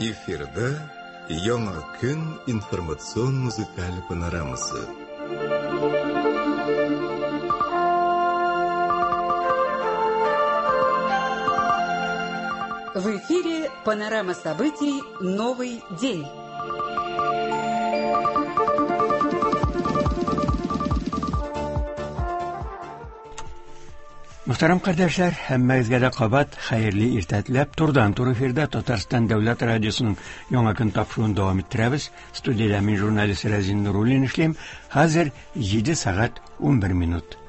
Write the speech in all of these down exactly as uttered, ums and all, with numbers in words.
Эфирда Яңа көн информацион музыкаль панорамасы. В эфире панорама событий «Новый день». Мөхтәрәм кардәшләр, һәммәгезгә дә кабат хәерле иртә теләп, турыдан-туры эфирда Татарстан Дәүләт радиосының Яңа көн тапшыруын дәвам иттерәбез. Студиядә мин журналист Рәзин Нуруллин эшлим. Хәзер җиде сәгать унбер минут.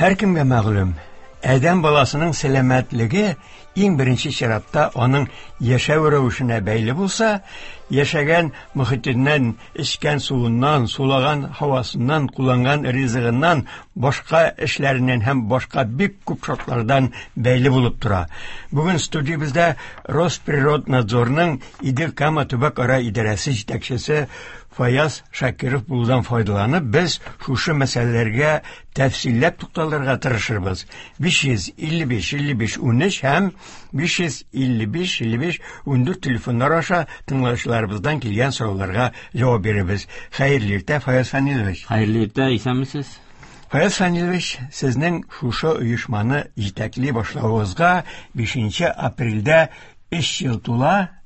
Һәркемгә мәгълүм, адәм баласының сәламәтлеге иң беренче чиратта аның яшәү рәвешенә бәйле булса, яшәгән мөхитеннән, эчкән суыннан, сулаган һавасыннан, кулланган ризыгыннан, башка эшләреннән һәм башка бик күп шартлардан бәйле булып тора. Бүген студиябездә Росприроднадзорның Идел-Кама төбәк-ара идарәсе җитәкчесе Фаяз Шакиров булудан файдаланып, без шушы мәсьәләләргә тәфсилләп тукталырга тырышырбыз. биш йөз илле биш илле биш унөч һәм биш йөз илле биш илле биш ундүрт телефоннар аша тыңлаучыларыбыздан килгән сорауларга җавап бирербез. Хәерле иртә, Фаяз Фанилович. Хәерле иртә, исәнмесез? Фаяз Фанилович, сезнең шушы оешманы җитәкли башлавыгызга бишенче апрельдә өч ел тула.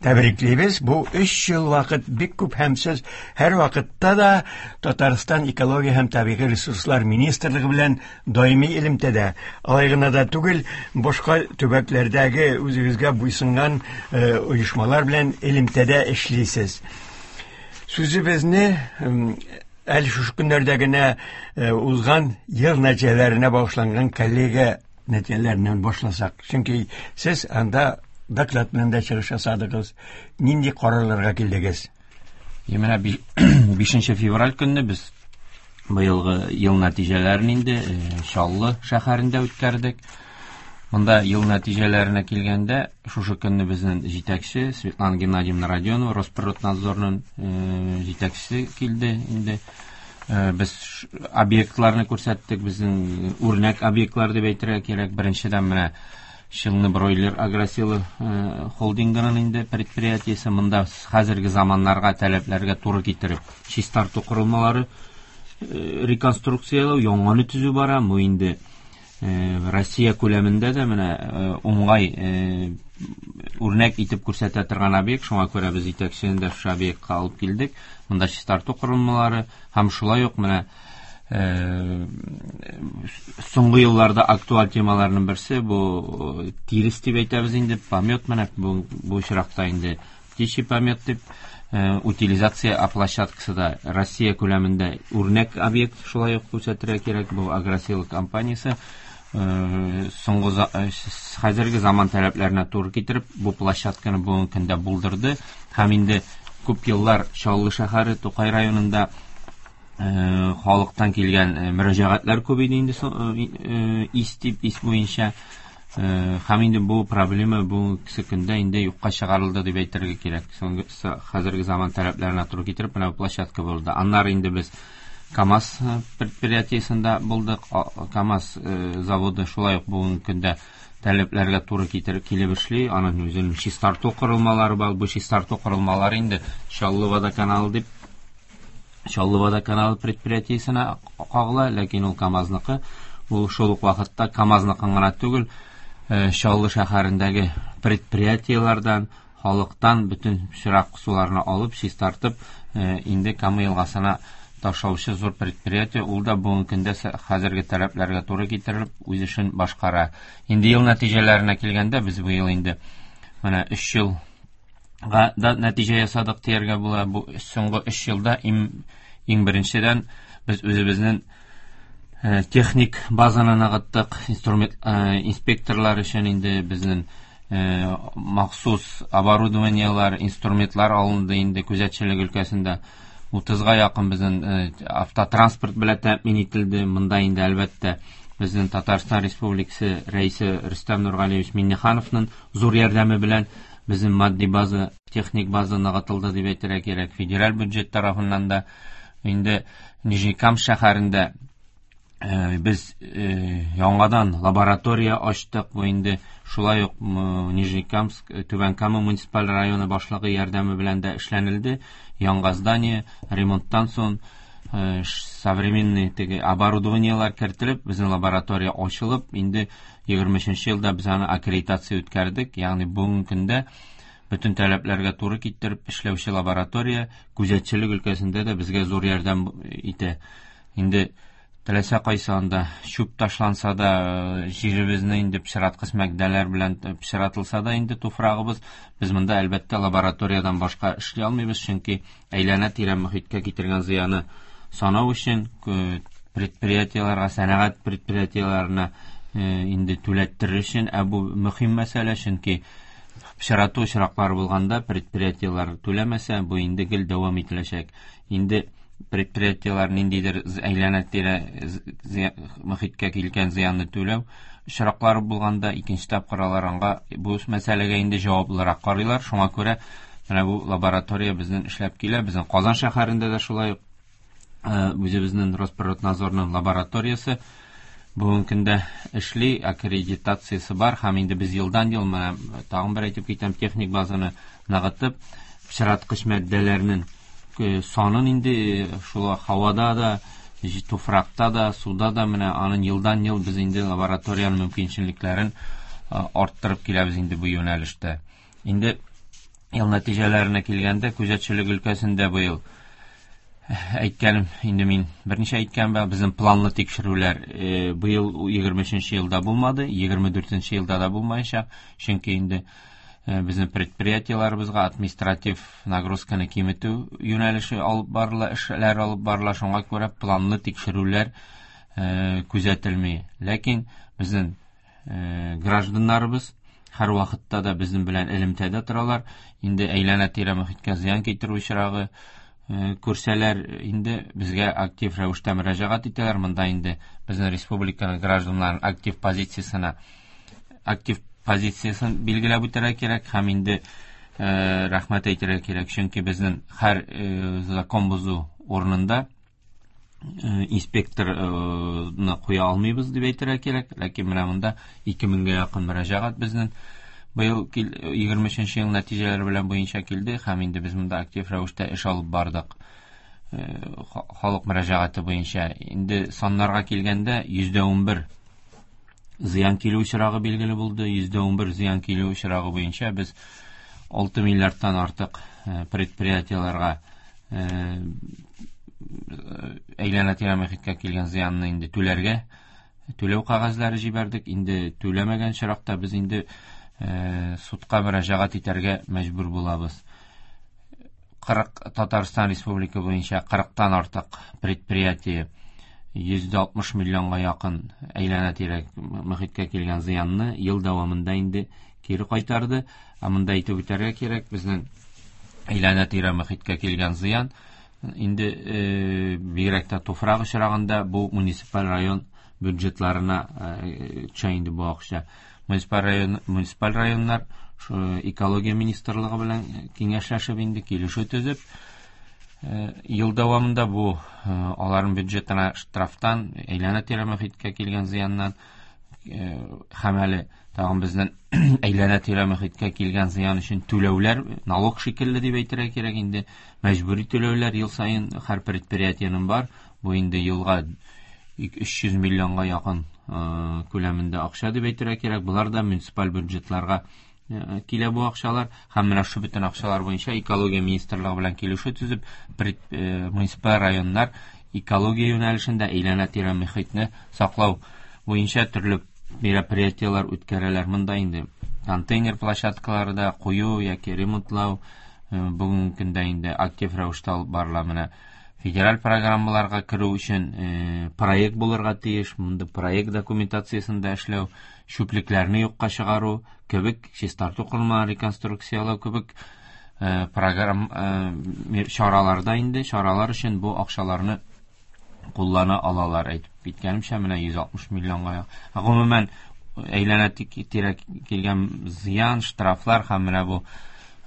Тәбриклибез. Бу өч ел вакыт бик күп һәм сез һәр вакытта да Татарстан экология һәм табигый ресурслар министрлыгы белән даими элемтәдә. Алай гына да түгел, башка төбәкләрдәге үзегезгә буйсынган, э, оешмалар белән элемтәдә эшлисез. Сүзебезне, м, әле шушы көннәрдә генә, э, узган ел нәтиҗәләренә багышланган коллега нәтиҗәләреннән башласак. Чөнки сез анда доклад белән дә чыгыш ясадыгыз. Нинди карарларга килдегез? Менә би-, бишенче февраль көнне без быелгы ел нәтиҗәләрен инде, э, Чаллы шәһәрендә үткәрдек. Монда ел нәтиҗәләренә килгәндә, шушы көнне безнең җитәкче Светлана Геннадьевна Родионова, Росприроднадзорның, э, җитәкчесе килде инде. Э, без ш-, объектларны күрсәттек, безнең үрнәк объектлар дип әйтергә кирәк. Беренчедән менә Челны бройлер агросилы, э, холдингының инде предприятиесе. Монда хәзерге заманнарга, таләпләргә туры китереп чистарту корылмалары, э, реконструкцияләү, яңаны төзү бара. Бу инде, э, Россия күләмендә дә менә, э, уңай, э, үрнәк итеп күрсәтә торган объект. Шуңа күрә без җитәкчене дә шушы объектка алып килдек. Монда чистарту корылмалары һәм шулай ук менә, э, соңгы елларда актуаль темаларның берсе бу, э, тирес дип әйтәбез инде, помет менә бу, бу очракта инде птичий помет дип, э, утилизация площадкасы да Россия күләмендә үрнәк объект шулай ук күрсәтергә кирәк. Бу Агросила компаниясе, э, соңгы за-, э, хәзерге заман таләпләренә туры китереп бу площадканы бүгенге көндә булдырды. Һәм инде күп еллар Чаллы шәһәре Тукай районында, э, халыктан килгән, э, мөрәҗәгатьләр күп иде инде со-, э, э, ис дип, ис буенча. Э, һәм инде бу проблема бүгенге көндә инде юкка чыгарылды дип әйтергә кирәк. Соңгы, с-, хәзерге заман таләпләренә туры китереп менә бу площадка булды. Аннары инде без КАМАЗ, э, предприятиесендә булдык. А, КАМАЗ, э, заводы шулай ук бүгенге көндә таләпләргә туры китереп килеп эшли. Аның үзенең чистарту корылмалары бар. Бу чистарту корылмалары инде Чаллы водоканалы дип, Чаллы водоканалы предприятиесенә кагыла, ләкин ул КАМАЗныкы. Ул шул ук вакытта КАМАЗныкын гына түгел, э, Чаллы шәһәрендәге предприятиеләрдән, халыктан бөтен чирак суларны алып, чистартып, э, инде Кама елгасына ташлаучы зур предприятие. Ул да бүгенге көндә сә-, хәзерге таләпләргә туры китерелеп үз эшен башкара. Инде ел нәтиҗәләренә килгәндә, без бу ел инде менә өч елга да нәтиҗә ясадык дияргә була. Бу соңгы өч елда иң, иң беренчедән без үзебезнең, э, техник базаны ныгыттык, инструмент, э, инспекторлар өчен инде безнең, э, махсус оборудованиелар, инструментлар алынды инде күзәтчелек өлкәсендә. Утызга якын безнең, э, автотранспорт белән тәэмин ителде. Монда инде әлбәттә безнең Татарстан Республикасы рәисе Рөстәм Нургалиевич Миңнехановның зур ярдәме белән Безнең матди база, техник база ныгытылды дип әйтергә кирәк. Федераль бюджет тарафыннан да инде Нижнекамск шәһәрендә без яңадан лаборатория ачтык. Бу инде шулай ук Нижнекамск, Түбән Кама муниципаль районы башлыгы ярдәме белән дә эшләнелде. Яңа здание ремонттан соң современный теге оборудованиелар кертелеп, безнең лаборатория ачылып, инде егерме өченче елда без аны аккредитация үткәрдек. Ягъни бүгенге көндә бөтен таләпләргә туры китереп эшләүче лаборатория күзәтчелек өлкәсендә дә безгә зур ярдәм итә. Инде теләсә кайсы анда чүп ташланса да, җиребезне инде пычраткыч матдәләр белән пычратылса да инде туфрагыбыз, без монда әлбәттә лабораториядан башка эшли алмыйбыз, чөнки әйләнә-тирә мөхиткә китергән зыяны санау өчен предприятиеләргә, сәнәгать предприятиеләренә инде түләттерер өчен, ә бу мөһим мәсьәлә, чөнки пычрату очраклары булганда предприятиеләр түләмәсә, бу инде гел дәвам ителәчәк. Инде предприятиеләр ниндидер әйләнә-тирә мөхиткә килгән зыянны түләү очраклары булганда икенче тапкыр алар аңа бу мәсьәләгә инде җаваплырак карыйлар. Шуңа күрә менә бу лаборатория безнең эшләп килә. Безнең Казан шәһәрендә дә шулай ук үзебезнең Росприроднадзорның лабораториясе бүгенге көндә эшли, аккредитациясе бар һәм инде без елдан-ел менә тагын бер әйтеп китәм, техник базаны ныгытып, пычраткыч матдәләрнең санын инде шул һавада да, туфракта да, суда да менә аның елдан-ел без инде лабораториянең мөмкинчелекләрен арттырып киләбез инде бу юнәлештә. Инде ел нәтиҗәләренә килгәндә, күзәтчелек өлкәсендә быел әйткәнем, инде мин берничә әйткән бар, безнең планлы тикшерүләр быел егерме өченче елда булмады, егерме дүртенче елда да булмаячак, чөнки инде безнең предприятиеләребезгә административ нагрузканы киметү юнәлеше алып барыла, эшләр алып барыла, шуңа күрә планлы тикшерүләр күзәтелми. Ләкин безнең гражданнарыбыз һәр вакытта да безнең белән элемтәдә торалар. Инде әйләнә-тирә мөхиткә зыян китерү очрагы күрсәләр, инде безгә актив рәвештә мөрәҗәгать итәләр. Монда инде безнең республиканың гражданнарының актив позициясенә, актив позициясен билгеләп үтәргә кирәк һәм инде рәхмәт әйтергә кирәк, чөнки безнең һәр закон бозу урынында инспекторны куя алмыйбыз дип әйтергә кирәк. Ләкин менә монда ике меңгә якын мөрәҗәгать безнең быел егерме өченче ел нәтиҗәләре белән буенча килде һәм инде без монда актив рәвештә эш алып бардык. Халык мөрәҗәгате буенча инде саннарга килгәндә йөздә унбер зыян килү очрагы билгеле булды. Йөздә унбер зыян килү очрагы буенча без алты миллиардтан артык предприятиеләргә әйләнә-тирә мөхиткә килгән зыянны инде түләргә түләү кәгазьләре җибәрдек. Инде түләмәгән очракта без инде судка мөрәҗәгать итәргә мәҗбүр булабыз. Кырык Татарстан Республика буенча кырыктан артык предприятие йөз алтмыш миллионга якын әйләнә-тирә мөхиткә килгән зыянны ел дәвамында инде кире кайтарды. Ә монда әйтеп үтәргә кирәк, безнең әйләнә-тирә мөхиткә килгән зыян инде бигрәк тә туфрак очрагында бу муниципаль район бюджетларына төшә инде бу акча. Муниципаль район, муниципаль районнар экология министрлыгы белән киңәшләшеп инде килешү төзеп, ел дәвамында бу аларның бюджетына штрафтан, әйләнә-тирә мөхиткә килгән зыяннан һәм әле тагын безнең әйләнә-тирә мөхиткә килгән зыян өчен түләүләр, налог шикелле дип әйтергә кирәк инде, мәҗбүри түләүләр ел саен һәр предприятиенең бар. Бу инде елга өч йөз миллионга якын күләмендә акча дип әйтергә кирәк. Булар да муниципаль бюджетларга килә бу акчалар. Һәм менә шу бөтен акчалар буенча экология министрлыгы белән килешү төзеп, муниципаль районнар экология юнәлешендә әйләнә-тирә мөхитне саклау буенча төрле мероприятиеләр үткәрәләр. Монда инде контейнер площадкалары да кую яки ремонтлау бүгенге көндә инде актив рәвештә алып барыла. Менә федераль программаларга керү өчен проект булырга тиеш. Монда проект документациясен дә эшләү, чүплекләрне юкка чыгару кебек, чистарту корылмаларын реконструкцияләү кебек программ чараларда инде чаралар өчен бу акчаларны куллана алалар. Әйтеп киткәнемчә, менә йөз алтмыш миллионга. Гомумән, әйләнә тирә килгән зыян, штрафлар һәм менә бу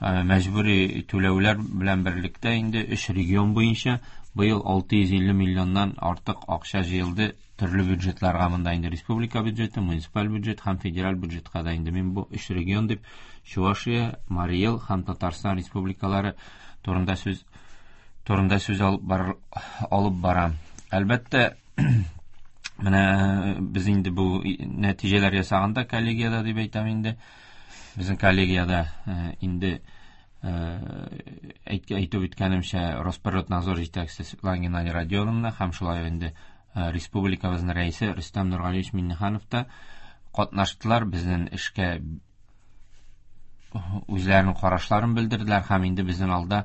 мәҗбүри түләүләр белән берлектә инде өч регион буенча быел алты йөз илле миллионнан артык акча җыелды төрле бюджетларга. Монда инде республика бюджеты, муниципаль бюджет һәм федераль бюджетка да инде мин бу өч регион дип Чувашия, Марий Эл һәм Татарстан республикалары турында сүз турында сүз алып бар, алып барам. Әлбәттә, менә без инде бу нәтиҗәләр ясаганда коллегияда дип әйтәм инде. Безнең коллегияда инде әйтеп үткәнемчә Росприроднадзор җитәкчесе Светлана Геннадий Родионовна һәм шулай инде республикабызның рәисе Рөстәм Нургалиевич Миннеханов та катнаштылар, безнең эшкә үзләренең карашларын белдерделәр һәм инде безнең алда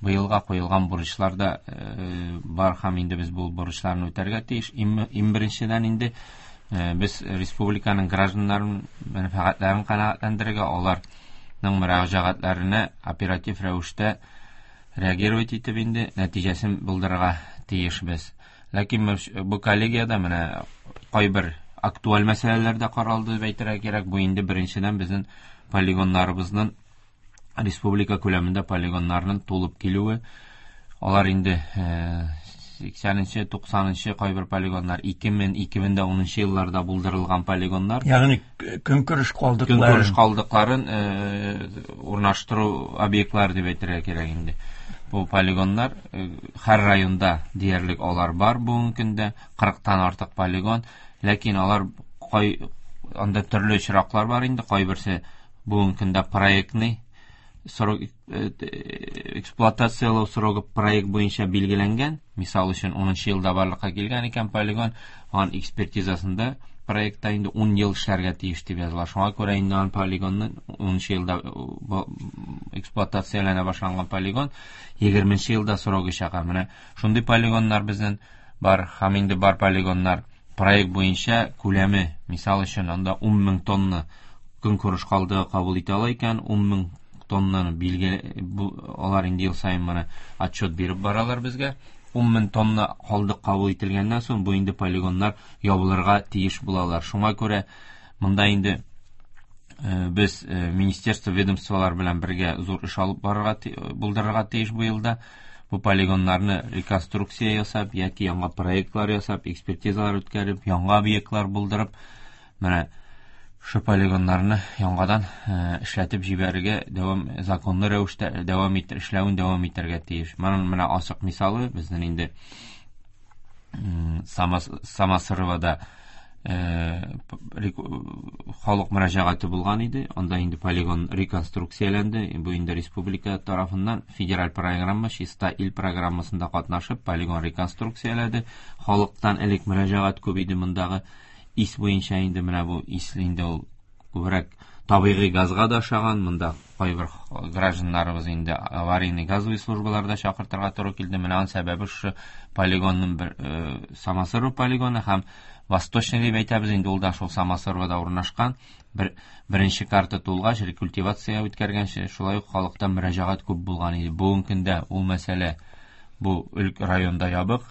быелга куелган бурычлар да бар һәм инде без бу бурычларны үтәргә тиеш. Иң беренчедән инде без республиканың гражданнарын мәнфәгатьләрен канәгатьләндерергә, аларның мөрәҗәгатьләренә оператив рәвештә реагировать итеп инде нәтиҗәсен булдырырга тиешбез. Ләкин бу коллегияда менә кайбер актуаль мәсьәләләр дә каралды дип әйтергә кирәк. Бу инде беренчедән безнең полигоннарыбызның республика күләмендә полигоннарның тулып килүе. Алар инде сиксәненче, туксанынчы кайбер полигоннар ике мең, ике мең дә унынчы елларда булдырылган полигоннар. Ягъни көнкүреш калдыкларын, көнкүреш калдыкларын урнаштыру объектлары дип әйтергә кирәк инде. Бу полигоннар һәр районда диярлек алар бар бүгенге көндә, кырыктан артык полигон, ләкин алар кай анда төрле очраклар бар инде, кайберсе бүгенге көндә проектный срок эксплуатациялау срогы проект буенча билгеләнгән. Мисал өчен унынчы елда барлыкка килгән икән полигон, аның экспертизасында проектта инде ун ел эшләргә тиеш дип языла. Шуңа күрә инде аның полигонны унынчы елда эксплуатацияләнә башланган полигон егерменче елда срогы чыга. Менә шундый полигоннар безнең бар һәм инде бар полигоннар проект буенча күләме, мисал өчен анда ун мең тонна көнкүреш калдыгы кабул итә ала икән, ун мең тоннаны билгеле, алар инде ел саен моны отчет биреп баралар безгә. ун мең тонна калдык кабул ителгәннән соң бу инде полигоннар ябылырга тиеш булалар. Шуңа күрә монда инде без министерство, ведомстволар белән бергә зур эш алып барырга булдырырга тиеш бу елда. Бу полигоннарны реконструкция ясап яки яңа проектлар ясап, экспертизалар үткәреп, яңа объектлар булдырып, менә шу полигоннарны яңадан эшләтеп җибәрергә дәвам, законлы рәвештә дәвам итер, эшләвен дәвам итәргә тиеш. Моның менә ачык мисалы безнең инде Самосыровада халык мөрәҗәгате булган иде. Анда инде полигон реконструкцияләнде. Бу инде республика тарафыннан федераль программа Чиста ил программасында катнашып полигон реконструкцияләде. Халыктан элек мөрәҗәгать күп иде мондагы ис буенча инде менә бу ис инде ул күбрәк табигый газга да ошаган. Монда кайбер гражданнарыбыз инде аварийный газовый службаларда чакыртырга туры килде. Менә аның сәбәбе шушы полигонның бер Самосыров полигоны һәм Восточный дип әйтәбез инде, ул да шул Самосыровда урнашкан. Бер беренче карта тулгач, рекультивация үткәргәнче шулай ук халыктан мөрәҗәгать күп булган иде. Бүгенге көндә ул мәсьәлә бу районда ябык.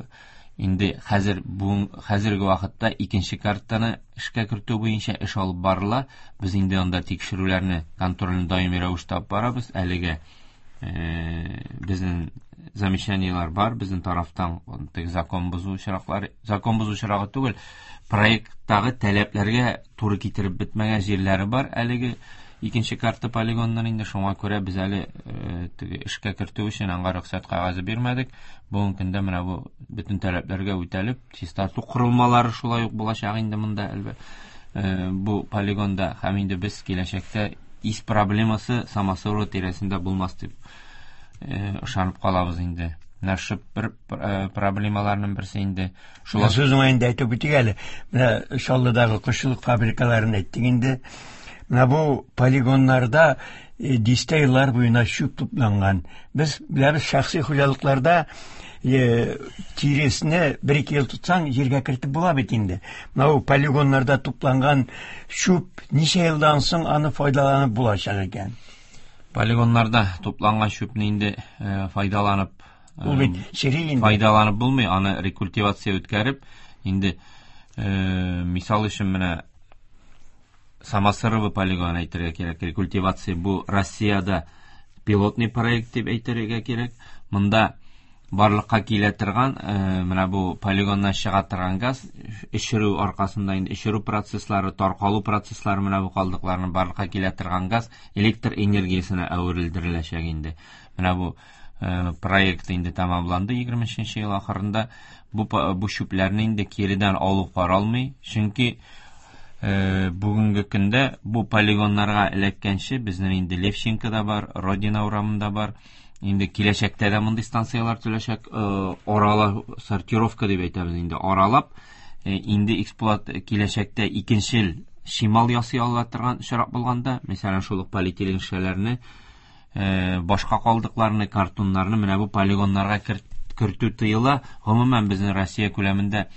Инде хәзер бу хәзерге вакытта икенче картаны эшкә кертү буенча эш алып барыла. Без инде анда тикшерүләрне, контрольне даими рәвештә алып барабыз. Әлегә безнең замечаниелар бар, безнең тарафтан теге закон бозу очраклары, закон бозу очрагы түгел, проекттагы таләпләргә туры китереп бетмәгән җирләре бар әлеге икенче карта полигоннан инде. Шуңа күрә без әле теге эшкә кертү өчен аңа рөхсәт кәгазе бирмәдек. Бүгенге көндә менә бу бөтен таләпләргә үтәлеп, чистарту корылмалары шулай ук булачак инде монда әлбәттә бу полигонда һәм инде без киләчәктә ис проблемасы Самосырова тирәсендә булмас дип ышанып калабыз инде. Менә шу бер проблемаларның берсе инде. Шулай сүз уңаенда әйтеп үтик әле. Менә Чаллыдагы кошчылык фабрикаларын әйттек инде. Менә бу полигоннарда дистә еллар буена чүп тупланган. Без беләбез, шәхси хуҗалыкларда тиресне бер-ике ел тотсаң, җиргә кертеп була бит инде. Менә бу полигоннарда тупланган чүп ничә елдан соң аны файдаланып булачак икән? Полигоннарда тупланган чүпне инде файдаланып, ул бит чери инде. Файдаланып булмый, аны рекультивация үткәреп, инде мисал өчен менә Самосырово полигонын әйтергә кирәк. Рекультивация бу Россиядә пилотный проект дип әйтергә кирәк. Монда барлыкка килә торган, менә бу полигоннан чыга торган газ эшерү аркасында инде эшерү процесслары, таркалу процесслары менә бу калдыкларның барлыкка килә торган газ электр энергиясенә әверелдереләчәк инде. Менә бу проект инде тәмамланды егерме өченче ел ахырында. Бу бу чүпләрне инде киредән алу каралмый, чөнки бүгенге көндә бу полигоннарга эләккәнче безнең инде Левченкода бар, Родина урамында бар. Инде киләчәктә дә мондый станцияләр төзеләчәк, арала сортировка дип әйтәбез инде, аралап инде эксплуат киләчәктә икенчел чимал ясый ала торган очрак булганда, мәсәлән, шул ук полиэтилен шешәләрне, башка калдыкларны, картоннарны менә бу полигоннарга кертү тыела. Гомумән безнең Россия күләмендә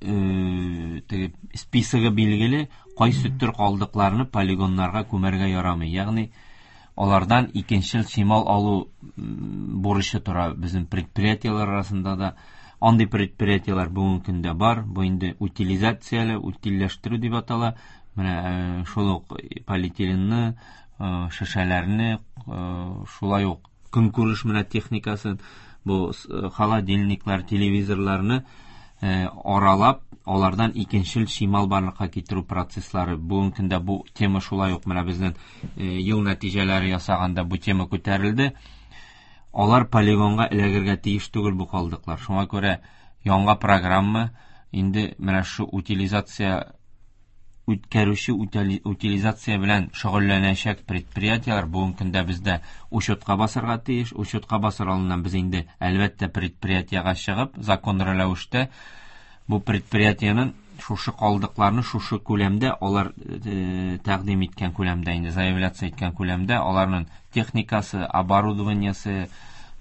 теге списогы билгеле, кайсы төр калдыкларны полигоннарга күмәргә ярамый. Ягъни алардан икенчел чимал алу бурычы тора безнең предприятиеләр арасында да. Андый предприятиеләр бүгенге көндә бар. Бу инде утилизацияле, утильләштерү дип атала. Менә шул ук полиэтиленны, шешәләрне, шулай ук көнкүреш менә техникасын, бу холодильниклар, телевизорларны аралап, алардан икенчел чимал барлыкка китерү процесслары. Бүгенге көндә бу тема шулай ук менә безнең ел нәтиҗәләре ясаганда бу тема күтәрелде. Алар полигонга эләгергә тиеш түгел бу калдыклар. Шуңа күрә яңа программа инде менә шу утилизация үткәрүче утилизация белән шөгыльләнәчәк предприятиеләр бүгенге көндә бездә учетка басырга тиеш. Учетка басыр алдыннан без инде әлбәттә предприятиегә чыгып, законлы рәвештә бу предприятиенең шушы калдыкларны шушы күләмдә алар тәкъдим иткән күләмдә инде заявляция иткән күләмдә аларның техникасы, оборудованиесе,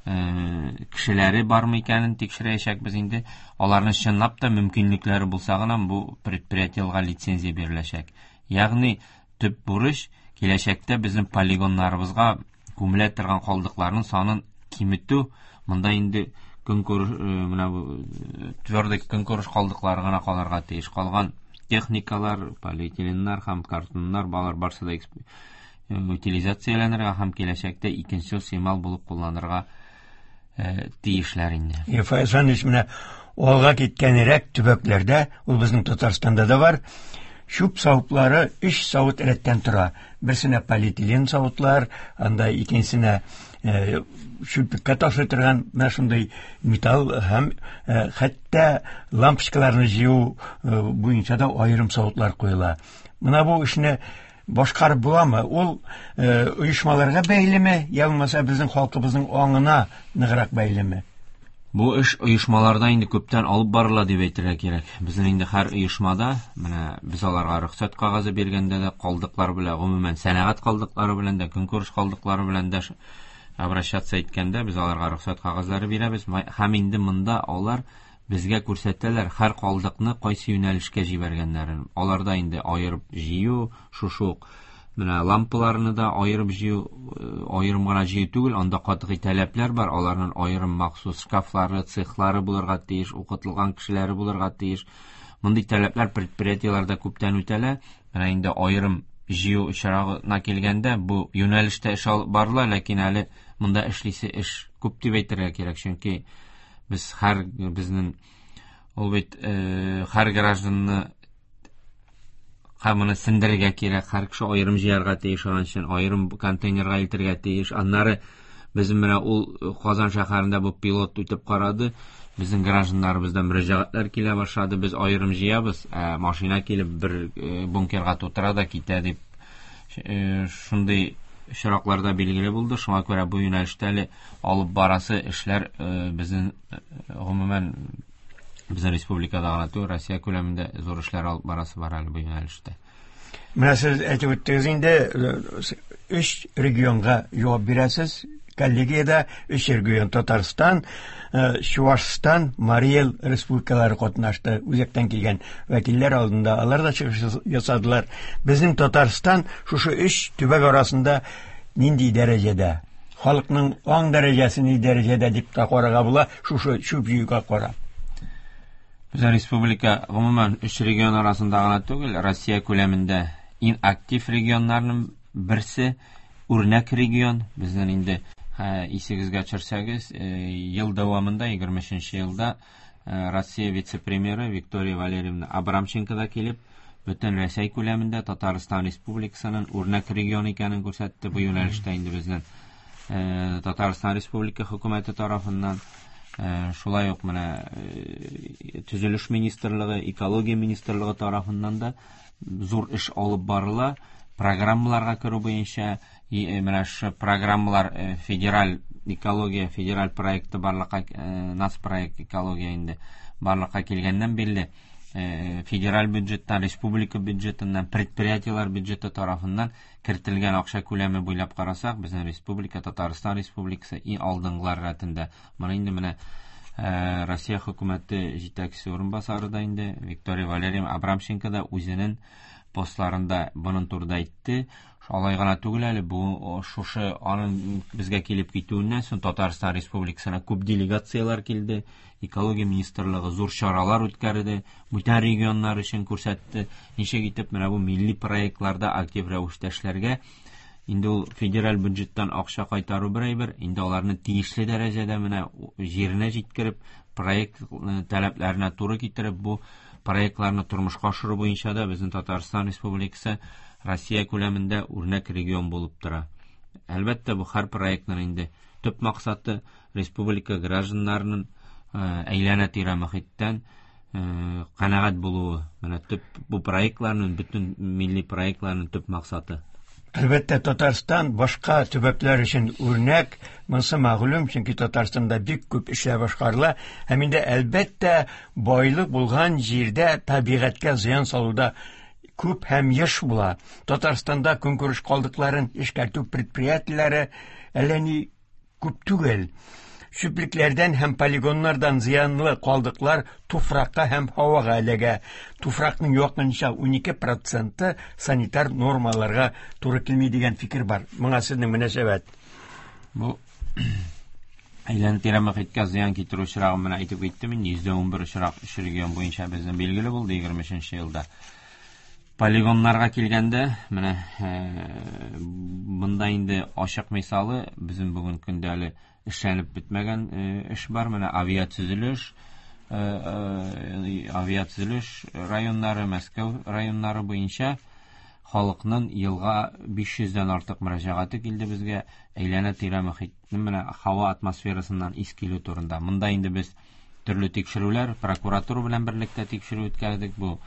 кешеләре бармы икәнен тикшерәчәкбез инде. Аларның чынлап та мөмкинлекләре булса гына бу предприятиеләргә лицензия биреләчәк. Ягъни төп бурыч киләчәктә безнең полигоннарыбызга күмелә торган калдыкларның санын киметү. Монда инде көнкүреш, менә бу твердый көнкүреш калдыклары гына калырга тиеш. Калган техникалар, полиэтиленнар һәм картоннар балар барсы да утилизацияләнергә һәм киләчәктә икенче чимал булып кулланырга тиешләр инде. Фаяз Фәнис, менә алга киткәнрәк төбәкләрдә, ул безнең Татарстанда да бар, чүп савытлары өч савыт рәттән тора. Берсенә полиэтилен савытлар, анда икенчесенә чүплеккә ташлый торган менә шундый металл һәм хәтта лампочкаларны җыю буенча да аерым савытлар куела. Менә бу эшне башкарып буламы? Ул оешмаларга бәйлеме, я булмаса безнең халкыбызның аңына ныграк бәйлеме? Бу эш оешмаларда инде күптән алып барыла дип әйтергә кирәк. Безнең инде һәр оешмада, менә без аларга рөхсәт кәгазе биргәндә дә калдыклар белән, гомумән сәнәгать калдыклары белән дә, көнкүреш калдыклары белән дә обращаться иткәндә без аларга рөхсәт кәгазьләре бирәбез. Һәм инде монда алар безгә күрсәтәләр һәр калдыкны кайсы юнәлешкә җибәргәннәрен. Аларда инде аерып җыю, шушы ук менә лампаларны да аерып җыю, аерым гына җыю түгел, анда катгый таләпләр бар. Аларның аерым махсус шкафлары, цехлары булырга тиеш, укытылган кешеләре булырга тиеш. Мондый таләпләр предприятиеләрдә күптән үтәлә. Менә инде аерым җыю очрагына килгәндә бу юнәлештә эш алып барыла, ләкин әле монда эшлисе эш күп дип әйтергә кирәк, чөнки без һәр безнең ул бит һәр гражданны һәм моны сендерергә кирәк, һәр кеше аерым җыярга тиеш, аның өчен аерым контейнерга илтергә тиеш. Аннары безнең менә ул Казан шәһәрендә бу пилот үтеп карады. Безнең гражданнарыбыздан мөрәҗәгатьләр килә башлады. Без аерым җыябыз, ә машина килеп бер бункерга тутыра да китә дип шундый очракларда билгеле булды. Шуңа күрә бу юнәлештә әле алып барасы эшләр безнең гомумән безнең республикада гына түгел, Россия күләмендә зур эшләр алып барасы бар әле бу юнәлештә. Менә сез әйтеп үттегез инде, өч регионга җавап бирәсез. Коллегиядә өч регион: Татарстан, Чувашстан, Марий Эл республикалары катнашты. Үзәктән килгән вәкилләр алдында алар да чыгыш ясадылар. Безнең Татарстан шушы өч төбәк арасында нинди дәрәҗәдә? Халыкның аң дәрәҗәсе ни дәрәҗәдә дип тә карарга була, шушы чүп җыюга карап. Безнең республика гомумән өч регион арасында гына түгел, Россия күләмендә иң актив регионнарның берсе, үрнәк регион. Безнең инде исегезгә төшерсәгез, ел дәвамында егерме өченче елда Россия вице-премьеры Виктория Валерьевна Абрамченко да килеп, бөтен Рәсәй күләмендә Татарстан Республикасының үрнәк регион икәнен күрсәтте. Бу юнәлештә инде безнең Татарстан Республика хөкүмәте тарафыннан шулай ук менә Төзелеш министрлыгы, Экология министрлыгы тарафыннан да зур эш алып барыла. Программаларга керү буенча, менә шу программалар федераль экология федераль проекты барлыкка, нацпроект экология инде барлыкка килгәннән бирле федераль бюджеттан, республика бюджетыннан, предприятиелар бюджеты тарафыннан кертелгән акча күләме буйлап карасак, безнең республика, Татарстан Республикасы иң алдынгылар рәтендә. Моны инде менә Россия хөкүмәте җитәкчесе урынбасары да инде Виктория Валерьевна Абрамченко да үзенең постларында моның турында әйтте. Алай гына түгел әле, бу шушы аның безгә килеп китүеннән соң Татарстан Республикасына күп делегацияләр килде. Экология министрлыгы зур чаралар үткәрде, бүтән регионнар өчен күрсәтте. Ничек итеп менә бу милли проектларда актив рәвештә эшләргә. Инде ул федераль бюджеттан акча кайтару бер әйбер, инде аларны тиешле дәрәҗәдә менә җиренә җиткереп, проект таләпләренә туры китереп, бу проектларны тормышка ашыру буенча да безнең Татарстан Республикасы Россия күләмендә үрнәк регион булып тора. Әлбәттә, бу һәр проектның инде төп максаты республика гражданнарының әйләнә-тирә мохиттән канәгать булуы. Менә төп бу проектларның, бөтен милли проектларның төп максаты. Әлбәттә, Татарстан башка төбәкләр өчен үрнәк, монысы мәгълүм, чөнки Татарстанда бик күп эшләр башкарыла. Һәм инде әлбәттә байлык булган җирдә табигатькә зыян салуда күп һәм еш була. Татарстанда көнкүреш калдыкларын эшкәртү предприятиеләре әллә ни күп түгел. Чүплекләрдән һәм полигоннардан зыянлы калдыклар туфракка һәм һавага эләгә. Туфракның якынча унике проценты санитар нормаларга туры килми дигән фикер бар. Моңа сезнең мөнәсәбәт? Бу әйләнә-тирә мохиткә зыян китерү очрагын менә әйтеп киттем инде, йөздә унбер очрак өч регион буенча безнең билгеле булды егерме өченче елда. Полигоннарга килгәндә, менә монда инде ачык мисалы, безнең бүген көндә әле эшләнеп бетмәгән эш бар. Менә авиатөзелеш, авиатөзелеш районнары, Мәскәү районнары буенча халыкның елга биш йөздән артык мөрәҗәгате килде безгә әйләнә-тирә мохитнең менә һава атмосферасыннан ис килү турында. Монда инде без төрле тикшерүләр, прокуратура белән берлектә тикшерү үткәрдек. Бу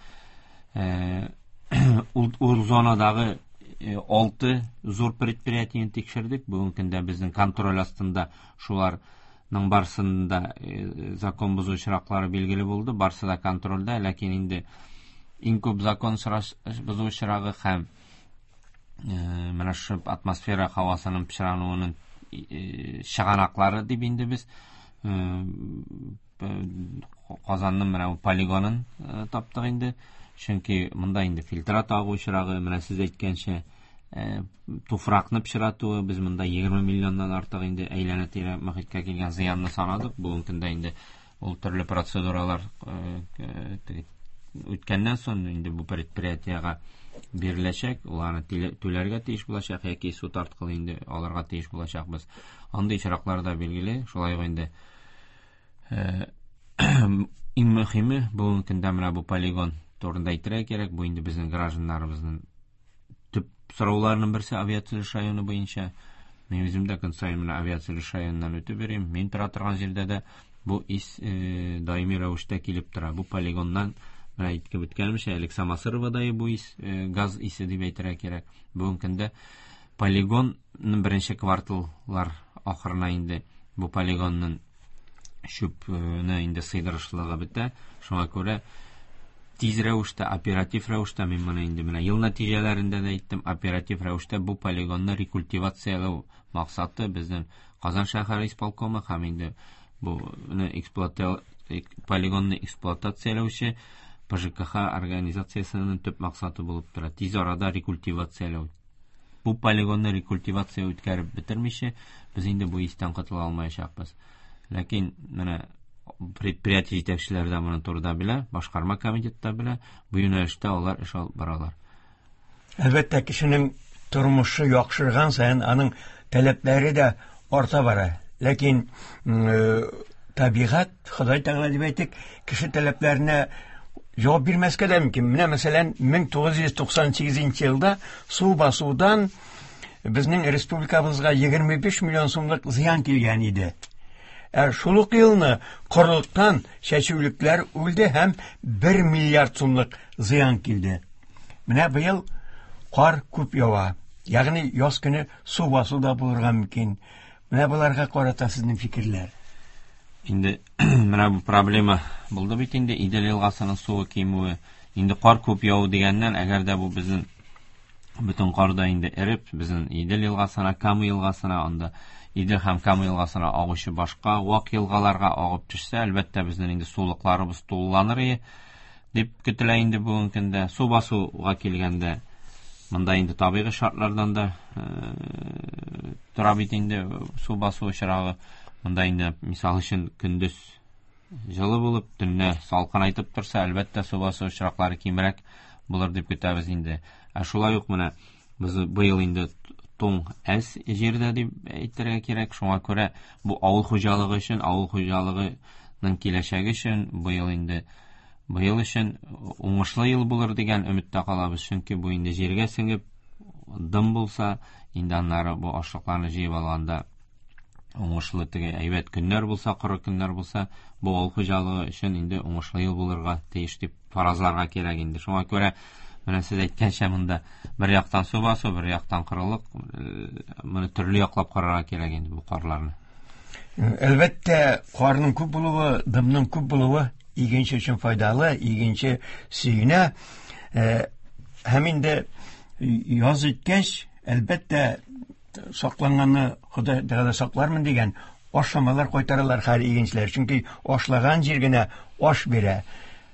ул зонадагы алты зур предприятиене тикшердек. Бүгенге көндә безнең контроль астында шуларның барысында закон бозу очраклары билгеле булды, барысы да контрольдә, ләкин инде иң күп закон бозу очрагы һәм менә шу атмосфера һавасының пычрануының чыганаклары дип инде без Казанның менә бу полигонын таптык инде. Чөнки монда инде фильтрат агу очрагы, менә сез әйткәнчә, туфракны пычратуы, без монда егерме миллионнан артык инде әйләнә-тирә мохиткә килгән зыянны санадык. Бүгенге көндә инде ул төрле процедуралар үткәннән соң инде бу предприятиегә биреләчәк, уларны түләргә тиеш булачак яки суд аркылы инде алырга тиеш булачакбыз. Андый очраклар да билгеле. Шулай ук инде иң мөһиме бүгенге көндә менә бу полигон турында әйтергә кирәк. Бу инде безнең гражданнарыбызның төп сорауларының берсе авиатөзелеш районы буенча. Мин үзем дә көн саен менә авиатөзелеш районыннан үтеп йөрим. Мин тора торган җирдә дә бу ис даими рәвештә килеп тора. Бу полигоннан менә әйтеп үткәнемчә, элек Самосыровада бу ис, газ исе дип әйтергә кирәк. Бүгенге көндә полигонның беренче кварталлар ахырына инде бу полигонның чүпне инде сыйдырышлыгы бетә. Шуңа күрә тиз рәвештә, оператив рәвештә, мин моны инде менә ел нәтиҗәләрендә дә әйттем, оператив рәвештә бу полигонны рекультивацияләү максаты безнең Казан шәһәре исполкомы һәм инде бу полигонны эксплуатацияләүче П Ж К Х организациясенең төп максаты булып тора. Тиз арада рекультивацияләү. Бу полигонны рекультивация үткәреп бетермичә, без инде бу истән котыла алмаячакбыз. Ләкин менә Предприятие җитәкчеләре дә моны турыда белә, башкарма комитет та белә. Бу юнәлештә алар эш алып баралар. Әлбәттә, кешенең тормышы яхшырган саен аның таләпләре дә арта бара. Ләкин табигать, Ходай Тәгалә дип әйтик, кеше таләпләренә җавап бирмәскә дә мөмкин. Менә мәсәлән, мең тугыз йөз туксан сигезенче елда су басудан безнең республикабызга егерме биш миллион сумлык зыян килгән иде. Ә шул ук елны корылыктан чәчүлекләр үлде һәм бер миллиард сумлык зыян килде. Менә быел кар күп ява. Ягъни яз көне су басу да булырга мөмкин. Менә боларга карата сезнең фикерләр? Инде менә бу проблема булды бит инде Идел елгасының суы кимүе. Инде кар күп яву дигәннән, әгәр дә бу безнең бөтен кар да инде эреп, безнең Идел елгасына, Кама елгасына, анда Идел һәм Кама елгасына агучы башка вак елгаларга агып төшсә, әлбәттә безнең инде сулыкларыбыз тулыланыр иде дип көтелә инде бүгенге көндә. Су басуга килгәндә, монда инде табигый шартлардан да, э, тора бит инде су басу очрагы. Монда инде мисал өчен көндез җылы булып, төнлә салкынайтып торса, әлбәттә су басу очраклары кимрәк булыр дип көтәбез инде. Ә шулай ук менә без быел инде туң әз җирдә дип әйтергә кирәк. Шуңа күрә бу авыл хуҗалыгы өчен, авыл хуҗалыгының киләчәге өчен быел инде быел өчен уңышлы ел булыр дигән өметтә калабыз. Чөнки бу инде җиргә сеңеп дым булса, инде аннары бу ашлыкларны җыеп алганда уңышлы теге әйбәт көннәр булса, коры көннәр булса, бу авыл хуҗалыгы өчен инде уңышлы ел булырга тиеш дип фаразларга кирәк инде. Шуңа күрә менә сез әйткәнчә монда бер яктан су басу, бер яктан корылык, моны төрле яклап карарга кирәк инде бу карларны. Әлбәттә, карның күп булуы, дымның күп булуы игенче өчен файдалы, игенче сөенә. Э, һәм инде яз җиткәч, әлбәттә, сакланганны Ходай Тәгалә саклармын дигән ашламалар кайтаралар хәл игенчеләр. Чөнки ашлаган җир генә аш бирә.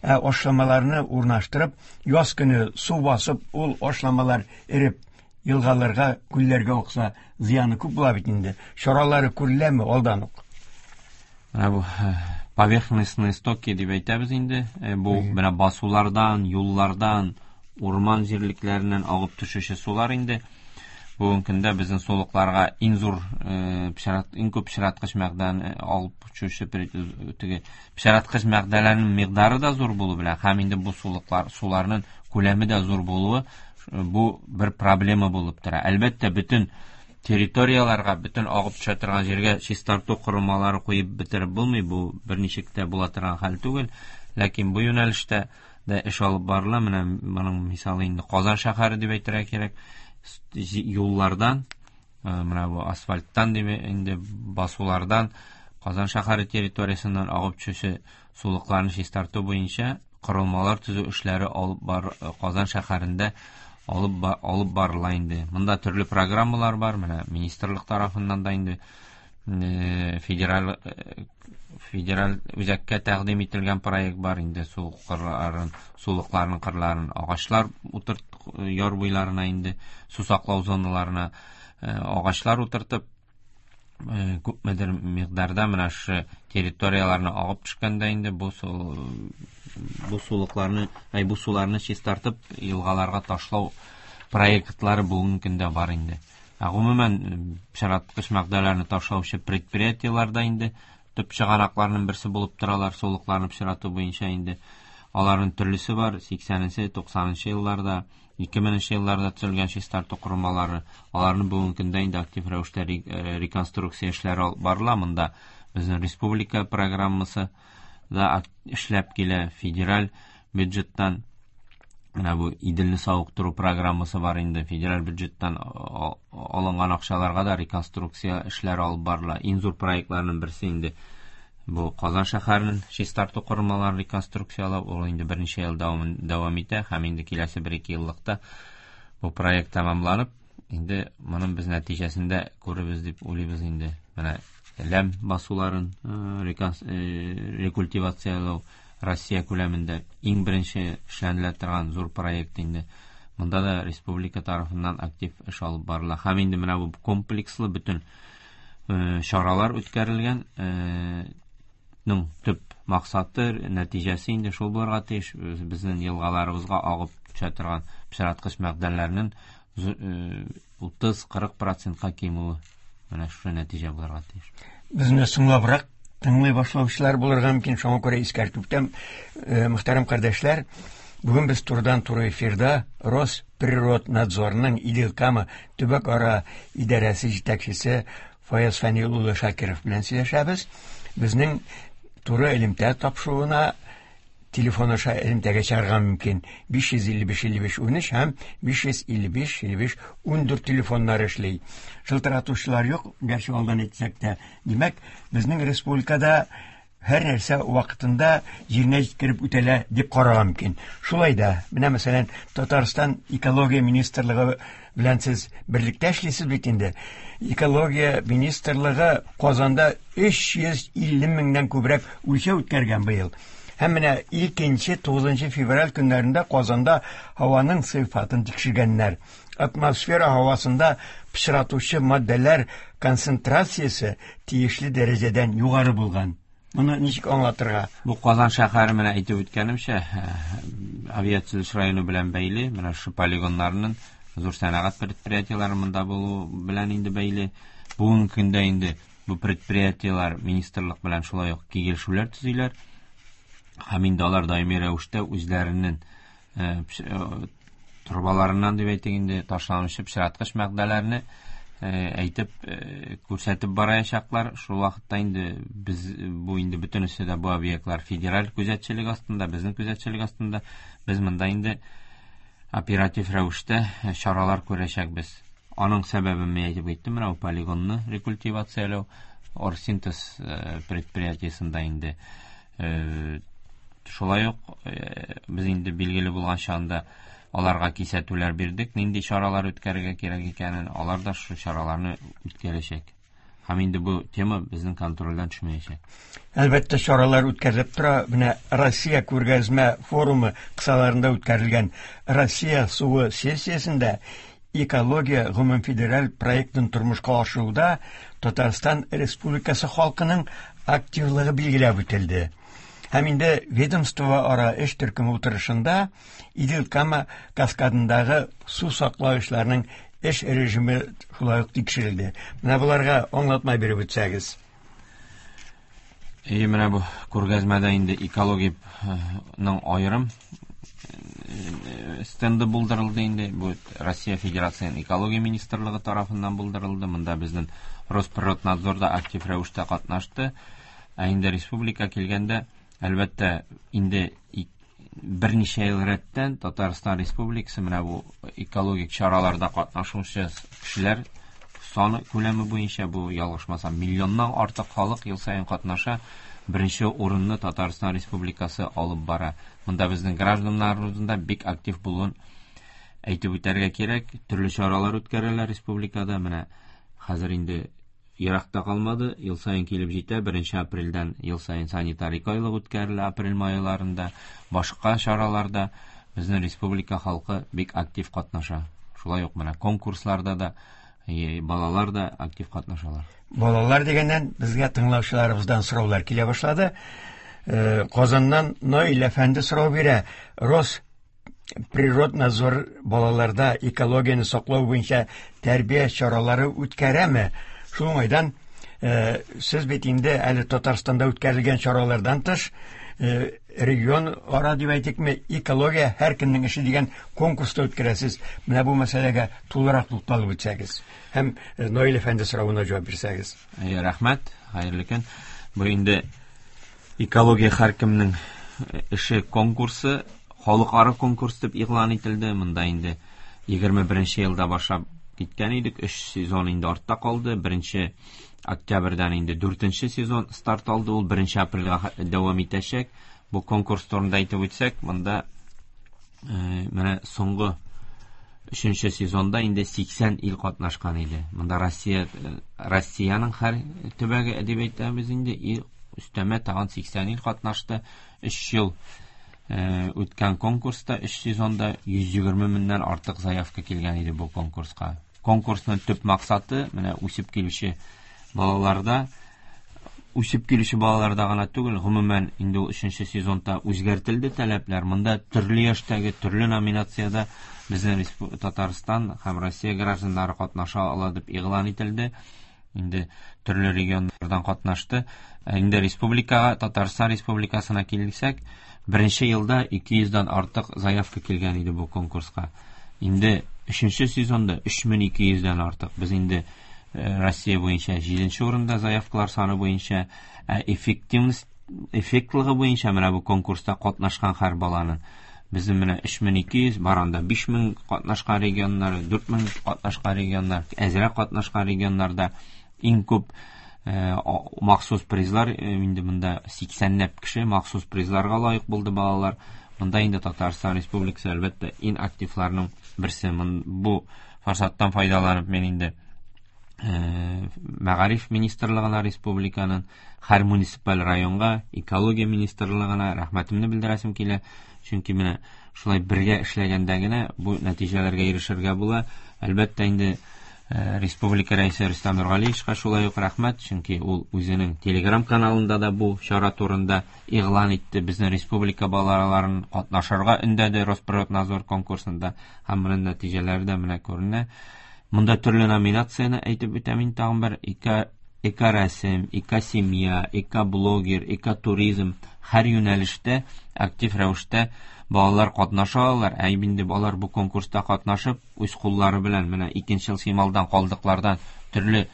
Ә ашламаларны урнаштырып, яз көне су басып, ул ашламалар эреп елгаларга, күлләргә акса, зыяны күп була бит инде. Чаралары күреләме алдан ук? Менә бу, э, поверхностные стоки дип әйтәбез инде. Э, бу Мгм. менә басулардан, юллардан, урман җирлекләреннән агып төшүче сулар инде. Бүгенге көндә безнең сулыкларга иң зур, э, пычрат, иң күп пычраткыч мәгъдән, э, алып төшүче пер-, теге пычраткыч мәгъдәләрнең микъдары да зур булу белән һәм инде бу сулыклар, суларның күләме дә зур булуы, э, бу бер проблема булып тора. Әлбәттә, бөтен территорияларга, бөтен агып төшә торган җиргә чистарту корылмалары куеп бетереп булмый, бу берничек тә була торган хәл түгел. Ләкин бу юнәлештә дә эш алып барыла. Менә моның мисалы инде Казан шәһәре дип әйтергә кирәк. Юллардан, э, менә бу асфальттан дип инде басулардан Казан шәһәре территориясеннән агып төшүче сулыкларны чистарту буенча корылмалар төзү эшләре алып бар, э, Казан шәһәрендә алып ба-, алып барыла инде. Монда төрле программалар бар, менә министрлык тарафыннан да инде, э, федераль, э, федераль үзәккә тәкъдим ителгән проект бар инде, су кырларын, сулыкларның кырларын агачлар утырт, яр буйларына инде су саклау зоналарына, э, агачлар утыртып, э, күпмедер микъдарда менә шу территорияләрне агып төшкәндә инде бу су, бу сулыкларны, ай, бу суларны чистартып елгаларга ташлау проектлары бүгенге көндә бар инде. Ә гомумән, пычраткыч матдәләрне ташлаучы предприятиеләр дә инде төп чыганакларның берсе булып торалар, сулыкларны пычрату буенча инде. Аларның төрлесе бар, сиксәненче, туксанынчы елларда, ике меңенче елларда төзелгән чистарту корылмалары, аларны бүгенге көндә инде актив рәвештә ре-, э, реконструкция эшләре алып барыла. Монда безнең республика программасы да ак-, эшләп килә, федераль бюджеттан менә бу Иделне савыктыру программасы бар инде, федераль бюджеттан а-, а-, алынган акчаларга да реконструкция эшләре алып барыла. Иң зур проектларның берсе инде бу Казан шәһәренең чистарту корылмаларын реконструкциялау, ул инде берничә ел дәвам, дәвам итә һәм инде киләсе бер-ике еллыкта бу проект тәмамланып, инде моның без нәтиҗәсендә күрербез дип уйлыйбыз инде. Менә ләм басуларын, э, реконс-, э, рекультивациялау Россия күләмендә иң беренче эшләнелә торган зур проект инде. Монда да республика тарафыннан актив эш алып барыла. Һәм инде менә бу комплекслы бөтен, э, чаралар үткәрелгән, э, Ның төп максаты, нәтиҗәсе инде шул булырга тиеш. Безнең елгаларыбызга агып төшә торган пычраткыч матдәләрнең утыз-кырык процентка кимүе. Менә шушы нәтиҗә булырга тиеш. Безне соңлабрак тыңлый башлаучылар булырга мөмкин, шуңа күрә искәртеп үтәм, мөхтәрәм кардәшләр, бүген без турыдан-туры эфирда Росприроднадзорның Идел-Кама төбәк-ара идарәсе җитәкчесе Фаяз Фәнил улы Шакиров белән сөйләшәбез. Безнең туры элемтә тапшыруына телефон аша элемтәгә чыгарга мөмкин. биш йөз илле биш илле биш унөч һәм биш йөз илле биш илле биш ундүрт телефоннар эшли. Шылтыратучылар юк, гәрчә алдан әйтсәк тә. Димәк, безнең республикада һәр нәрсә вакытында җиренә җиткереп үтәлә дип карарга мөмкин. Шулай да, менә мәсәлән, Татарстан экология министрлыгы белән сез берлектә эшлисез бит инде. Экология министрлыгы Казанда өч йөз илле меңнән күбрәк үлчәү үткәргән быел. Һәм менә икенче, тугызынчы февраль көннәрендә Казанда һаваның сыйфатын тикшергәннәр. Атмосфера һавасында пычратучы матдәләр концентрациясе тиешле дәрәҗәдән югары булган. Моны ничек аңлатырга? Бу Казан шәһәре менә әйтеп үткәнемчә, авиация районы белән бәйле, менә шу полигоннарның зур сәнәгать предприятиеләре монда булу белән инде бәйле. Бүгенге көндә инде бу предприятиеләр министрлык белән шулай ук килешүләр төзиләр. Һәм инде алар даими рәвештә үзләренең, э, пш-, э, торбаларыннан дип әйтик инде ташланучы пычраткыч матдәләрне, э, әйтеп, э, күрсәтеп барачаклар. Шул вакытта инде без бу инде бөтенесе дә бу объектлар федераль күзәтчелек астында, безнең күзәтчелек астында. Без монда инде оператив рәвештә чаралар күрәчәкбез. Аның сәбәбен мин әйтеп киттем, менә бу полигонны рекультивацияләү, Оргсинтез, э, предприятиесендә инде, э, шулай ук, э, без инде билгеле булганча анда аларга кисәтүләр бирдек, нинди чаралар үткәрергә кирәк икәнен, алар да шул чараларны үткәрәчәк. Һәм инде бу тема безнең контрольдән төшмәячәк. Әлбәттә, чаралар үткәрелеп тора. Менә Россия күргәзмә форумы кысаларында үткәрелгән Россия суы сессиясендә экология гомумфедераль проектын тормышка ашыруда Татарстан Республикасы халкының активлыгы билгеләп үтелде. Һәм инде ведомство ара эш төркеме утырышында Идел-Кама каскадындагы су саклаучыларның эш режимы шулай ук тикшерелде. Менә буларга аңлатма биреп үтсәгез. Әйе, менә бу күргәзмәдә инде экологияның аерым, э, стенды булдырылды инде. Бу Россия Федерациясенең экология министрлыгы тарафыннан булдырылды. Монда безнең Росприроднадзор да актив рәвештә катнашты. Ә инде республика килгәндә, әлбәттә, инде ик-, берничә ел рәттән Татарстан Республикасы менә бу экологик чараларда катнашучы кешеләр саны күләме буенча, бу ялгышмасам, миллионнан артык халык ел саен катнаша. Беренче урынны Татарстан Республикасы алып бара. Монда безнең гражданнарыбызның да бик актив булуын әйтеп үтәргә кирәк. Төрле чаралар үткәрәләр республикада. Менә хәзер инде еракта калмады, ел саен килеп җитә. Беренче апрельдән ел саен санитар айлык үткәрелә, апрель майларында, башка чараларда безнең республика халкы бик актив катнаша. Шулай ук менә конкурсларда да, е, балалар да актив катнашалар. Балалар дигәннән безгә тыңлаучыларыбыздан сораулар килә башлады. Э, Казаннан Наил әфәнде сорау бирә. Росприроднадзор балаларда экологияне саклау буенча тәрбия чаралары үткәрәме? Шул уңайдан, э, сез бит инде әле Татарстанда үткәрелгән чаралардан тыш, э, регион ара дип әйтикме, экология һәр кемнең эше дигән конкурста үткәрәсез. Менә бу мәсьәләгә тулырак тукталып үтсәгез һәм, э, Наил әфәнде соравына җавап бирсәгез. Әйе, рәхмәт, хәерле көн. Бу инде экология һәр кемнең эше конкурсы, халыкара конкурс дип игълан ителде. Монда инде егерме беренче елда башлап киткән идек. Өч сезон инде артта калды. Беренче октябрьдән инде дүртенче сезон старт алды. Ул беренче апрельгә ха-, дәвам итәчәк. Бу конкурс турында әйтеп үтсәк, монда, э, менә соңгы өченче сезонда инде сиксән ил катнашкан иде. Монда Россия, э, Россиянең һәр төбәге дип әйтәбез инде, и өстәмә тагын сиксән ил катнашты. Өч ел, э, үткән конкурста, өч сезонда йөз егерме меңнән артык заявка килгән иде бу конкурска. Конкурсның төп максаты менә үсеп килүче балаларда үсеп килүче балаларда гына түгел, гомумән инде ул өченче сезонда үзгәртелде таләпләр. Монда төрле яшьтәге, төрле номинациядә безнең Татарстан һәм Россия гражданнары катнаша ала дип игълан ителде. Инде төрле регионнардан катнашты. Инде республикага, Татарстан Республикасына килсәк, беренче елда ике йөздән артык заявка килгән иде бу конкурска. Инде өченче сезонда өч мең ике йөздән артык. Без инде Россия буенча җиденче урында заявкалар саны буенча, ә эффективность, эффектлыгы буенча менә бу конкурста катнашкан һәр баланың безнең менә өч мең ике йөз, бар анда биш мең катнашкан регионнар, дүрт мең катнашкан регионнар, әзрәк катнашкан регионнарда иң күп махсус призлар, инде монда сиксәнләп кеше махсус призларга лаек булды балалар. Монда инде Татарстан Республикасы әлбәттә иң активларның берсе. Бу форсаттан файдаланып мин инде Мәгариф министрлыгына, республиканың һәр муниципаль районга, экология министрлыгына рәхмәтемне белдерәсем килә. Чөнки менә шулай бергә эшләгәндә генә бу нәтиҗәләргә ирешергә була. Әлбәттә инде Республика рәисе Рөстәм Нургалиевичка шулай ук рәхмәт, чөнки ул үзенең Telegram каналында да бу чара турында игълан итте. Безнең республика балаларын катнашырга өндәде Росприроднадзор конкурсында, һәм моның нәтиҗәләре дә менә күренә. Монда төрле номинацияне әйтеп үтәм инде тагын бер: эко, эко-рәсем, эко-семья, эко-блогер, эко-туризм, һәр юнәлештә актив рәвештә балалар катнаша алалар. Ә инде балалар бу конкурста катнашып, үз куллары белән менә икенче ел сималдан, калдыклардан төрле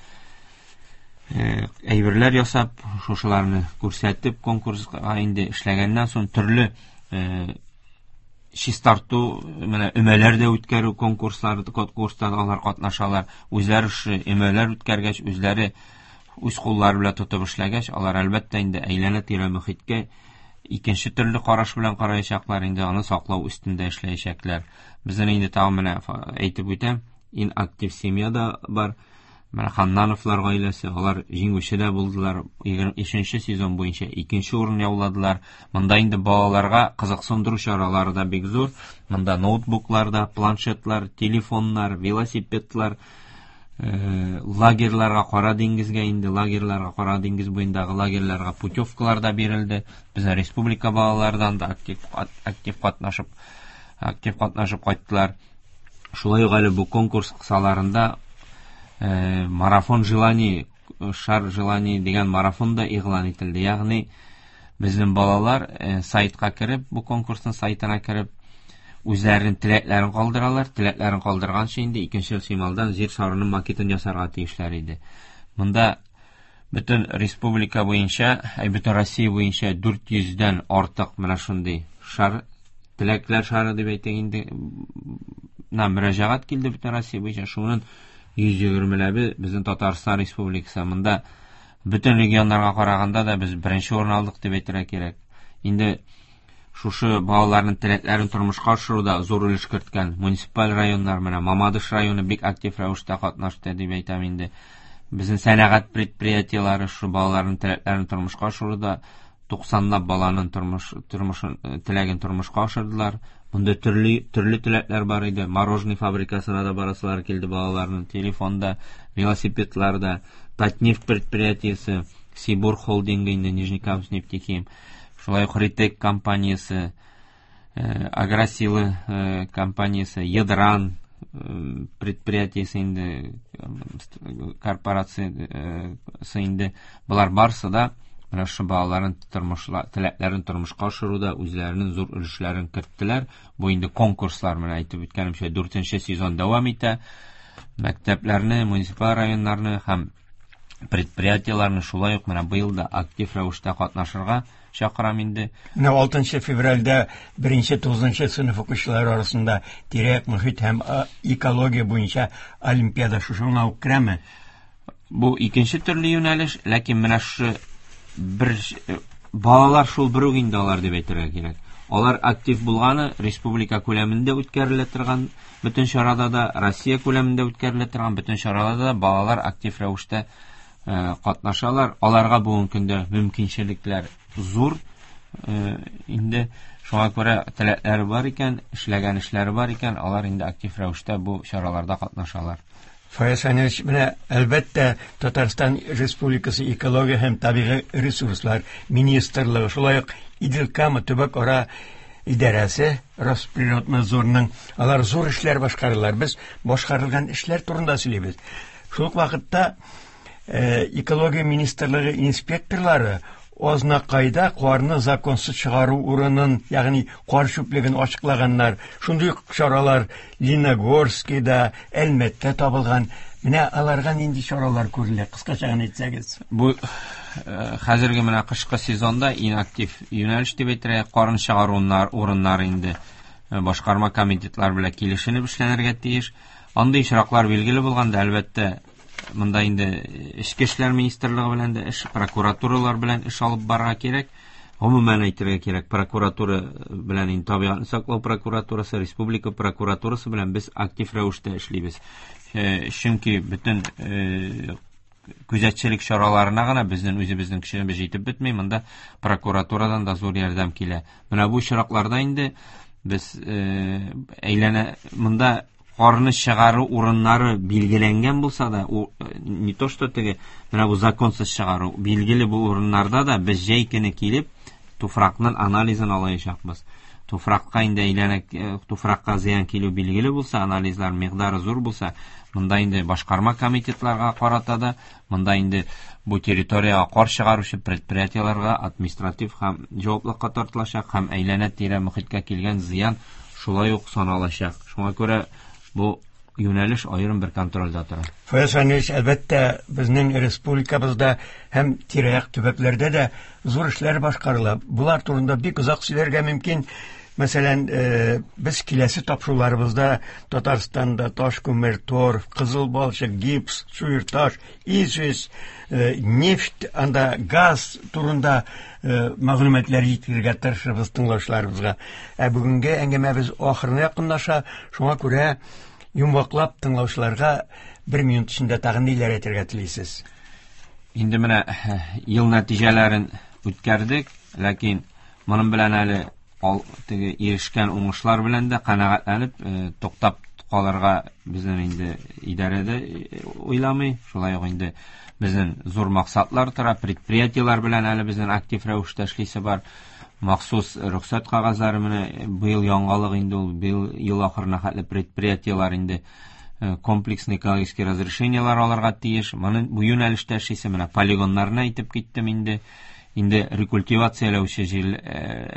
әйберләр ясап, шушыларны күрсәтеп, конкурска инде эшләгәннән соң төрле чистарту, менә өмәләр дә үткәрү конкурслары, конкурста алар катнашалар. Үзләре шушы өмәләр үткәргәч, үзләре үз куллары белән тотып эшләгәч, алар әлбәттә инде әйләнә-тирә мөхиткә икенче төрле караш белән караячаклар, инде аны саклау өстендә эшләячәкләр. Безнең инде тагын менә әйтеп үтәм, иң актив семья да бар. Менә Ханнановлар гаиләсе, алар җиңүче дә булдылар. Егерме өченче сезон буенча икенче урын яуладылар. Монда инде балаларга кызыксындыру чаралары да бик зур. Монда ноутбуклар да, планшетлар, телефоннар, велосипедлар, лагерьларга, Кара диңгезгә инде, лагерьларга, Кара диңгез буендагы лагерьларга путевкалар да бирелде. Безнең республика балалардан да актив, актив катнашып, актив катнашып кайттылар. Шулай ук әле бу конкурс кысаларында марафон желаний, шар желаний дигән марафон да игълан ителде. Ягъни безнең балалар сайтка кереп, бу конкурсның сайтына кереп, үзләренең теләкләрен калдыралар. Теләкләрен калдырганчы инде икенче сималдан җир шарының макетын ясарга тиешләр иде. Монда бөтен республика буенча, әй, бөтен Россия буенча дүрт йөздән артык менә шундый шар, теләкләр шары дип әйтик инде, на мөрәҗәгать килде бөтен Россия буенча. Шуның йөз егермеләбе безнең Татарстан Республикасы. Монда бөтен регионнарга караганда да без беренче урын алдык дип әйтергә кирәк. Инде шушы балаларның теләкләрен тормышка ашыруда зур өлеш керткән муниципаль районнар, менә Мамадыш районы бик актив рәвештә катнашты дип әйтәм инде. Безнең сәнәгать предприятиеләре шу балаларның теләкләрен тормышка ашыруда туксанлап баланың тормыш, тормышын, теләген тормышка ашырдылар. Монда төрле, төрле теләкләр бар иде. Мороженое фабрикасына да барасылар килде балаларның, телефонда, велосипедларда, Татнефть предприятиесе, Сибур холдингы инде, Нижнекамск нефтехим, шулай ук Ритек компаниясе, Агросилы компаниясе, Ядран предприятиесе инде, корпорациясе инде, болар барсы да менә шу балаларын тормышла, теләкләрен тормышка ашыруда үзләренең зур өлешләрен керттеләр. Бу инде конкурслар, менә әйтеп үткәнемчә, дүртенче сезон дәвам итә. Мәктәпләрне, муниципаль районнарны һәм предприятиеләрне шулай ук менә быел да актив рәвештә катнашырга чакырам инде. Менә алтынчы февральдә беренче тугызынчы сыйныф укучылары арасында тирә-як мөхит һәм экология буенча олимпиада шушыңа ук керәме? Бу икенче төрле юнәлеш, ләкин менә шушы бер балалар шул бер үк инде алар дип әйтергә кирәк. Алар актив булганы республика күләмендә үткәрелә торган бөтен чарада да, Россия күләмендә үткәрелә торган бөтен чарада да балалар актив рәвештә катнашалар. Аларга бүгенге көндә мөмкинчелекләр зур. Инде шуңа күрә теләкләре бар икән, эшләгән эшләре бар икән, алар инде актив рәвештә бу чараларда катнашалар. Фаяз Фәнилович, менә әлбәттә Татарстан Республикасы Экология һәм табигый ресурслар министрлыгы, шулай ук Идел-Кама төбәк-ара идарәсе Росприроднадзорның, алар зур эшләр башкаралар. Без башкарылган эшләр турында сөйлибез. Шул ук вакытта Экология министрлыгы инспекторлары Азнакайда карны законсыз чыгару урынын, ягъни кар чүплеген ачыклаганнар. Шундый ук чаралар Леногорскида, Әлмәттә табылган. Менә аларга нинди чаралар күрелә? Кыскача гына әйтсәгез. Бу хәзерге менә кышкы сезонда иң актив юнәлеш дип әйтергә, карны чыгару урыннары инде башкарма комитетлар белән килешенеп эшләнергә тиеш. Андый очраклар билгеле булганда, әлбәттә, монда инде Эчке эшләр министрлыгы белән дә эш, прокуратуралар белән эш алып барырга кирәк. Гомумән әйтергә кирәк, прокуратура белән инде табигатьне саклау прокуратурасы, республика прокуратурасы белән без актив рәвештә эшлибез. Чөнки бөтен күзәтчелек чараларына гына безнең үзебезнең кешебез җитеп бетми, монда прокуратурадан да зур ярдәм килә. Менә бу очракларда инде без әйләнә монда карны чыгару урыннары билгеләнгән булса да, не то что теге, менә бу законсыз чыгару, билгеле бу урыннарда да без җәй көне килеп туфракның анализын алачакбыз. Туфракка инде әйләнә, туфракка зыян килү билгеле булса, анализлар микъдары зур булса, монда инде башкарма комитетларга карата да, монда инде бу территориягә кар чыгаручы предприятиеләргә административ һәм җаваплылыкка тартылачак һәм әйләнә-тирә мохиткә килгән зыян шулай ук саналачак. Шуңа күрә бу юнәлеш аерым бер контрольдә тора. Фаяз Фәнилович, әлбәттә, безнең республикабызда һәм тирә-як төбәкләрдә дә зур эшләр башкарыла. Булар турында бик озак сөйләргә мөмкин. Мәсәлән, без киләсе тапшыруларыбызда Татарстанда таш күмер, торф, кызыл балчык, гипс, чуерташ, известь, нефть, анда газ турында мәгълүматлар җиткерергә тырышырбыз тыңлаучыларыбызга. Ә бүгенге әңгәмәбез ахырына якынлаша, шуңа күрә йомгаклап тыңлаучыларга бер минут эчендә тагын ниләр әйтергә телисез? Инде менә ел нәтиҗәләрен үткәрдек, ләкин моның белән әле ал, теге ирешкән уңышлар белән дә канәгатьләнеп туктап калырга безнең инде идарәдә уйламый. Шулай ук инде безнең зур максатлар тора, предприятиеләр белән әле безнең актив рәвештә эшлисе бар. Махсус рөхсәт кәгазьләре менә быел яңалык инде ул, быел ел ахырына хәтле предприятиеләр инде комплексный экологический разрешениелар алырга тиеш. Моны бу юнәлештә эшлисе, менә полигоннарны әйтеп киттем инде. Инде рекультивацияләүче җир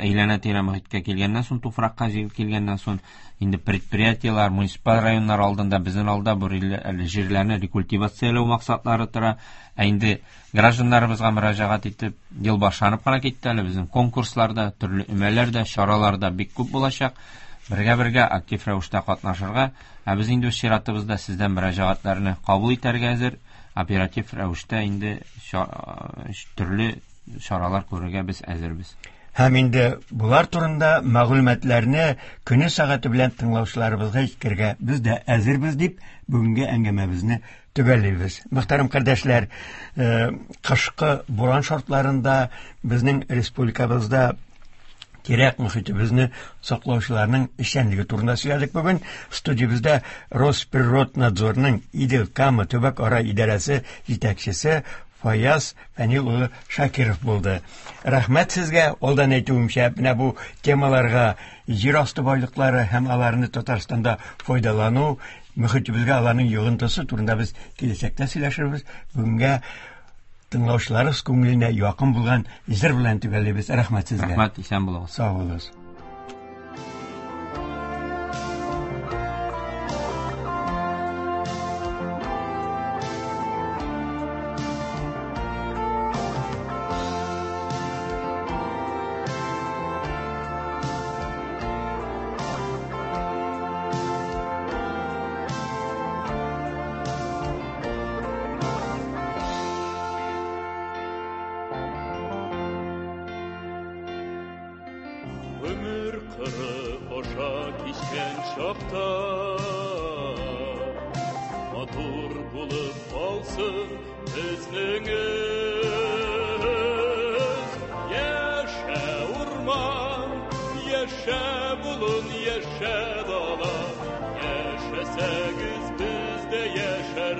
әйләнә-тирә мохиткә килгәннән соң, туфракка җир килгәннән соң, инде предприятиеләр, муниципаль районнар алдында безнең алда бу җирләрне рекультивацияләү максатлары тора. Ә инде гражданнарыбызга мөрәҗәгать итеп, ел башланып кына китте әле, безнең конкурсларда, төрле өмәләрдә, чараларда бик күп булачак. Бергә-бергә актив рәвештә катнашырга, ә без инде үз чиратыбызда сездән мөрәҗәгатьләрне кабул итәргә әзер, оператив рәвештә инде төрле чаралар күрергә без әзербез. Һәм инде булар турында мәгълүматларны көне сәгате белән тыңлаучыларыбызга җиткерергә без дә әзербез дип бүгенге әңгәмәбезне төгәллибез. Мөхтәрәм кардәшләр, кышкы буран шартларында безнең республикабызда тирәк мөхитебезне саклаучыларның эшчәнлеге турында сөйләдек бүген. Студиябездә Росприроднадзорның Идел-Кама төбәк-ара идарәсе җитәкчесе Фаяз Фәнил улы Шакиров булды. Рәхмәт сезгә, алдан әйтүемчә, менә бу темаларга җир асты байлыклары һәм аларны Татарстанда файдалану, мөхитебезгә аларның йогынтысы турында без киләчәктә сөйләшербез. Бүгенгә тыңлаучыларыбыз күңеленә якын булган җыр белән төгәллибез. Рәхмәт сезгә. Рәхмәт, исән булыгыз. Сау булыгыз. Yaşa bulun, yaşa dala, yaşasagız biz de yaşarız.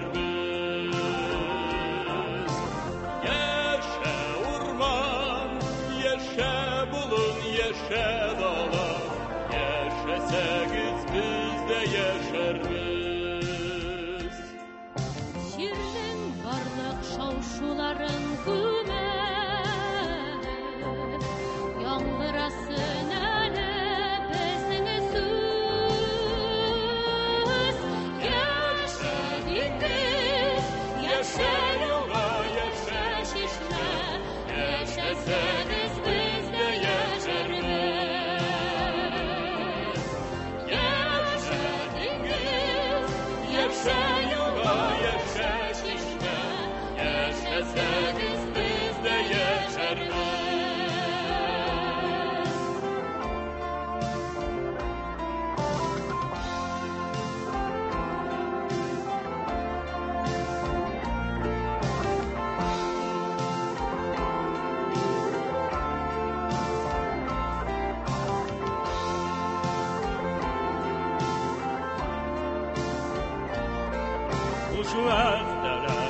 Хуш вәгъдәләр.